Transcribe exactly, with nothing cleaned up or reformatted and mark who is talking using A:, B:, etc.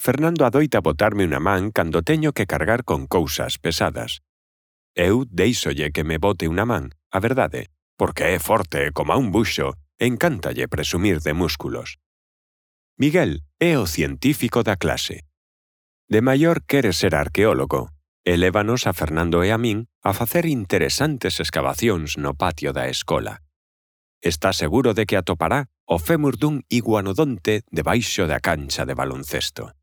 A: Fernando adoita botarme unha man cando teño que cargar con cousas pesadas. Eu deixolle que me bote unha man, a verdade, porque é forte coma un buxo e encántalle presumir de músculos. Miguel é o científico da clase. De maior quere ser arqueólogo e lévanos a Fernando e a min a facer interesantes escavacións no patio da escola. Está seguro de que atopará o fémur dun iguanodonte debaixo da cancha de baloncesto.